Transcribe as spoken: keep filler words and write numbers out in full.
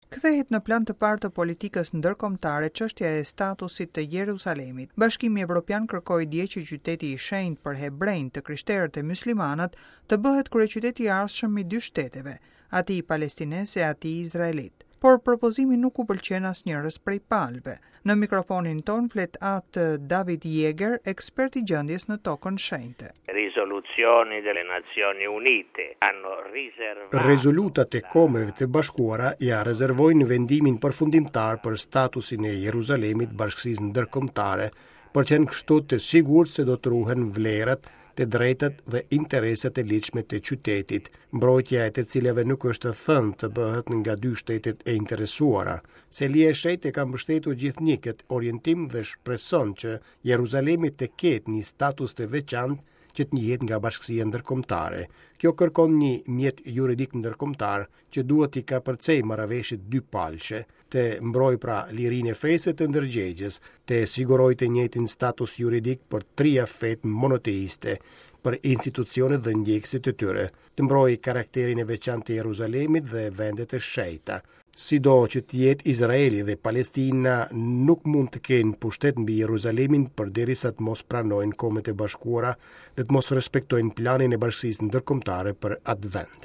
Kthehet në plan të parë të politikës ndërkombëtare çështja e statusit të Jerusalemit. Bashkimi Evropian kërkoi dje që qyteti i shenjtë për hebrejt, të krishterët e muslimanët të bëhet kryeqyteti i ardhshëm i dy shteteve, atij palestinez e atij izraelit. Por propozimi nuk u pëlqen asnjërës prej palëve. Në mikrofonin ton flet atë David Jäger, ekspert i gjendjes në tokën shenjte. Risoluzioni delle Nazioni Unite hanno riservato Rezolutat e Kombeve të Bashkuara ja rezervojnë vendimin përfundimtar për statusin e Jeruzalemit bashkësisë ndërkombëtare, për qenë kështu të sigurt se do të ruhen vlerat, të drejtat dhe interesat e ligjshme të qytetit, mbrojtja e të cilave nuk është thënë të bëhet nga dy shtetet e interesuara. Selia e Shenjtë ka mbështetur gjithnjë këtë orientim dhe shpreson që Jeruzalemi të ketë një status të veçantë që të njihet nga bashkësia ndërkombëtare. Kjo kërkon një mjet juridik ndërkombëtar që duhet t'i kapërcej marrëveshjet dypalëshe, të mbrojë pra lirinë e fesë të ndërgjegjes, të sigurojë të njëjtin status juridik për tria fetë monoteiste, për institucionet dhe ndjekësit e tyre, të mbrojë karakterin e veçantë të Jeruzalemit dhe vendet e shenjta. Sido që të jetë, Izraeli dhe Palestina nuk mund të kenë pushtet mbi Jeruzalemin përderisa të mos pranojnë Kombet e Bashkuara dhe të mos respektojnë planin e bashkësisë ndërkombëtare për atë vend.